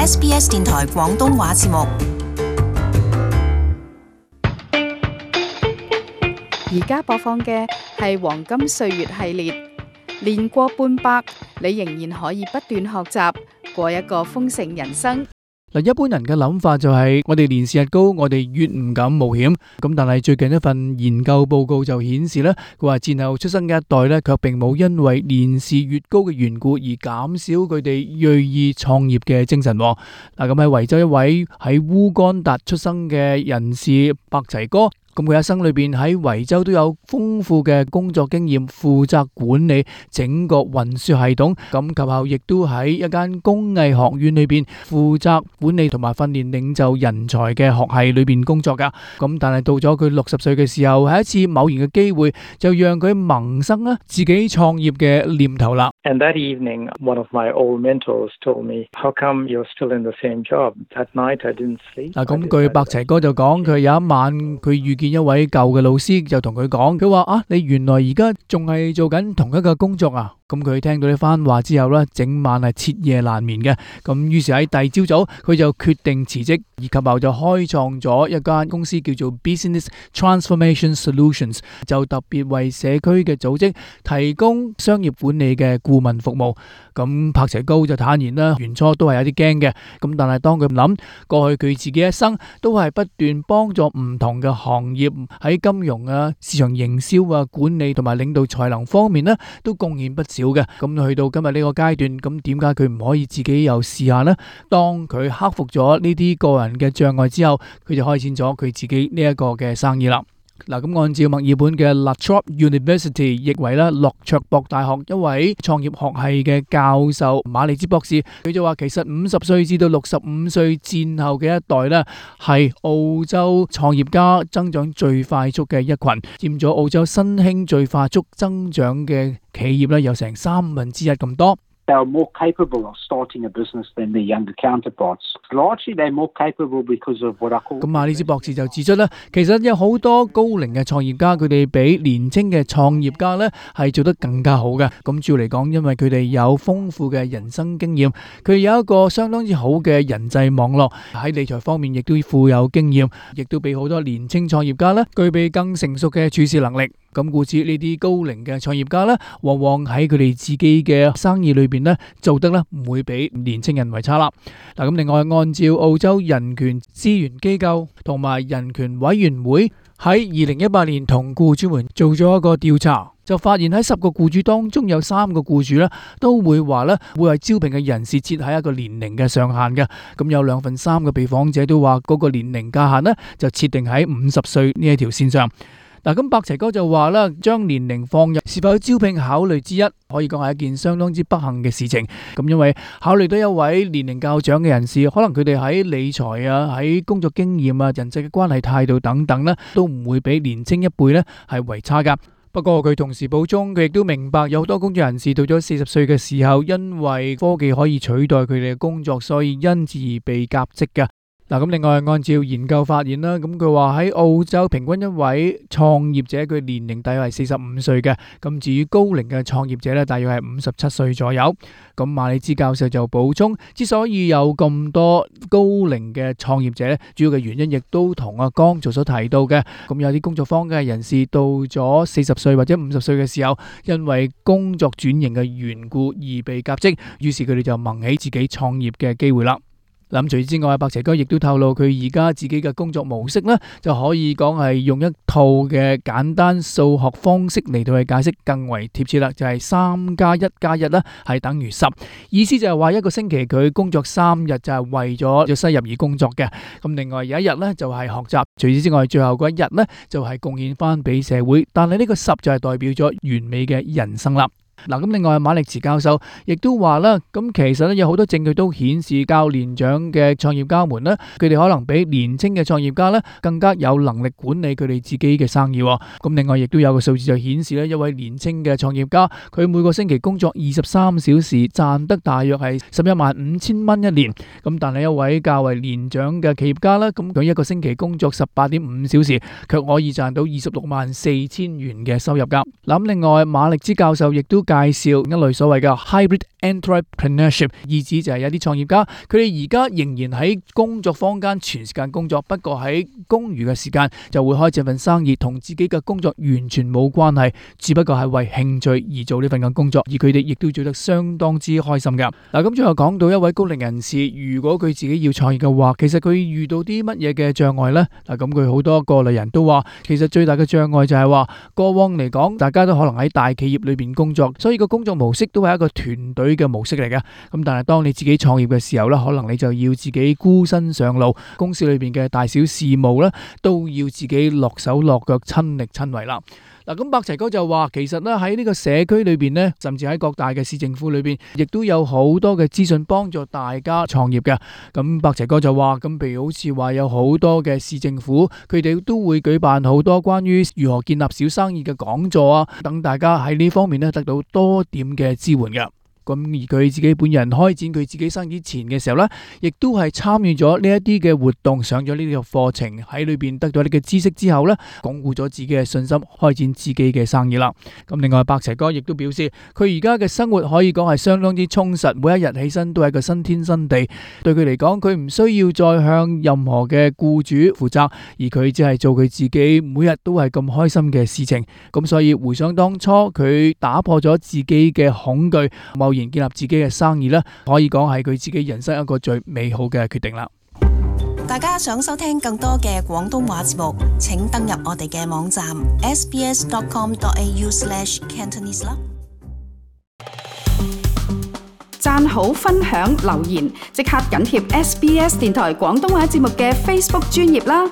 SBS 電台廣東話節目。而家播放嘅係黃金歲月系列，年過半百，你仍然可以不斷學習，過一個豐盛人生。嗱，一般人嘅諗法就係我哋年事日高，我哋越唔敢冒險。咁但係最近一份研究報告就顯示咧，佢話戰後出生嘅一代咧，卻並冇因為年事越高嘅緣故而減少佢哋銳意創業嘅精神。嗱，咁喺維州一位喺烏干達出生嘅人士白齊哥。咁佢一生裏邊喺維州都有豐富嘅工作經驗，負責管理整個運輸系統。咁及後亦都喺一間工藝學院裏邊負責管理同埋訓練領袖人才嘅學系裏邊工作噶。咁但係到咗佢60歲嘅時候，係一次偶然嘅機會，就讓佢萌生啦自己創業嘅念頭啦。And that evening, one of my old mentors told me, "How come you're still in the same job?" That night, I didn't sleep. 嗱，咁據白齊哥就講，佢有一晚佢遇見一位舊嘅老師，就同佢講，佢話啊，你原來而家仲係做緊同一個工作啊！咁佢聽到呢番話之後呢，整晚係徹夜難眠嘅。咁於是喺第二朝早，佢就決定辭職，而及後就開創咗一間公司叫做 Business Transformation Solutions， 就特別為社區嘅組織提供商業管理嘅顧問服務。咁柏齊高就坦言啦，原初都係有啲驚嘅。咁但係當佢諗過去佢自己一生都係不斷幫助唔同嘅行業喺金融啊、市場營銷啊、管理同埋領導才能方面呢，都貢獻不少嘅。咁去到今日呢個階段，咁點解佢唔可以自己又試下呢？當佢克服咗呢啲個人嘅障礙之後，佢就開展咗佢自己呢一個嘅生意啦。嗱，咁按照墨爾本嘅 La Trobe University 譯為咧洛卓博大學一位創業學系嘅教授馬利茲博士，佢就話其實50歲至到65歲戰後嘅一代咧，係澳洲創業家增長最快速嘅一群，佔咗澳洲新興最快速增長嘅企業咧，有成1/3咁多。They are more capable of starting a business than their younger counterparts. Largely, they're more capable because of what I call. 咁馬利茲博士就指出咧，其實有好多高齡嘅創業家，佢哋比年輕嘅創業家咧係做得更加好嘅。咁主要嚟講，因為佢哋有豐富嘅人生經驗，佢有一個相當之好嘅人際網絡，喺理財方面亦都富有經驗，亦都比好多年輕創業家咧具備更成熟嘅處事能力。咁故此呢啲高齡嘅創業家咧，往往喺佢哋自己嘅生意裏邊咧做得咧唔會比年青人為差啦。嗱，咁另外按照澳洲人權資源機構同埋人權委員會喺2018年同僱主們做咗一個調查，就發現喺10個僱主當中有3個僱主咧都會話咧會為招聘嘅人士設喺一個年齡嘅上限嘅。咁有2/3嘅被訪者都話嗰個年齡界限咧就設定喺50歲呢一條線上。嗱，咁白齊哥就話啦，將年齡放入是否招聘考慮之一，可以講係一件相當之不幸嘅事情。咁因為考慮到一位年齡較長嘅人士，可能佢哋喺理財啊、喺工作經驗啊、人際嘅關係態度等等呢，都唔會比年青一輩呢係為差噶。不過佢同時補充，佢亦都明白有好多工作人士到咗40歲嘅時候，因為科技可以取代佢哋嘅工作，所以因而被革職嘅。嗱，咁另外按照研究發現啦，咁佢話喺澳洲平均一位創業者佢年齡大約係45歲嘅，咁至於高齡嘅創業者咧，大約係57歲左右。咁馬利茲教授就補充，之所以有咁多高齡嘅創業者咧，主要嘅原因亦都同阿剛做所提到嘅，咁有啲工作坊嘅人士到咗40歲或者50歲嘅時候，因為工作轉型嘅緣故而被革職，於是佢哋就萌起自己創業嘅機會啦。咁除此之外，白齊哥亦都透露佢而家自己嘅工作模式呢，就可以講係用一套嘅簡單數學方式嚟到去解釋，更為貼切啦。就係3+1+1呢係等於10，意思就係話一個星期佢工作3日就係為咗收入而工作嘅。咁另外有一日呢就係學習，除此之外最後嗰一日呢就係貢獻翻俾社會。但係呢個10就係代表咗完美嘅人生啦。嗱，咁另外馬力茨教授亦都話啦，咁其實咧有好多證據都顯示較年長嘅創業家們咧，佢哋可能比年輕嘅創業家咧更加有能力管理佢哋自己嘅生意。咁另外亦都有個數字就顯示咧，一位年輕嘅創業家，佢每個星期工作23小時，賺得大約係115000蚊一年。咁但係一位較為年長嘅企業家咧，咁佢一個星期工作18.5小時，卻可以賺到264000元嘅收入噶。咁另外馬力茲教授亦都介紹一類所謂嘅 hybrid entrepreneurship， 意思就係有啲創業家佢哋而家仍然喺工作坊間全時間工作，不過喺公餘嘅時間就會開這份生意，同自己嘅工作完全冇關係，只不過係為興趣而做呢份嘅工作，而佢哋亦都做得相當之開心噶。嗱，咁最後講到一位高齡人士，如果佢自己要創業嘅話，其實佢遇到啲乜嘢嘅障礙呢？嗱，咁佢好多過來人都話，其實最大嘅障礙就係話，過往嚟講，大家都可能喺大企業裏邊工作，所以個工作模式都係一個團隊嘅模式嚟嘅。咁但係當你自己創業嘅時候呢，可能你就要自己孤身上路，公司裏邊嘅大小事務呢，都要自己落手落腳親力親為啦。嗱，咁百齊哥就話，其實咧喺呢個社區裏邊呢，甚至喺各大嘅市政府裏邊，亦都有好多嘅資訊幫助大家創業嘅。咁百齊哥就話，咁譬如好似話有好多嘅市政府，佢哋都會舉辦好多關於如何建立小生意嘅講座啊，等大家喺呢方面呢得到多點嘅支援嘅。咁而佢自己本人開展佢自己生意前嘅時候呢，亦都係參與咗呢一啲嘅活動，上咗呢個課程，喺裏邊得到呢個知識之後呢，鞏固咗自己嘅信心，開展自己嘅生意啦。咁另外百齊哥亦都表示，佢而家嘅生活可以講係相當之充實，每一日起身都係一個新天新地。對佢嚟講，佢唔需要再向任何嘅僱主負責，而佢只係做佢自己每日都係咁開心嘅事情。咁所以回想當初佢打破咗自己嘅恐懼，然建立自己嘅生意咧，可以講係佢自己人生一個最美好嘅決定啦。大家想收聽更多嘅廣東話節目，請登入我哋嘅網站 sbs.com.au/cantonese 啦。讚好、分享、留言，即刻緊貼SBS 電台廣東話節目嘅 Facebook 專頁啦。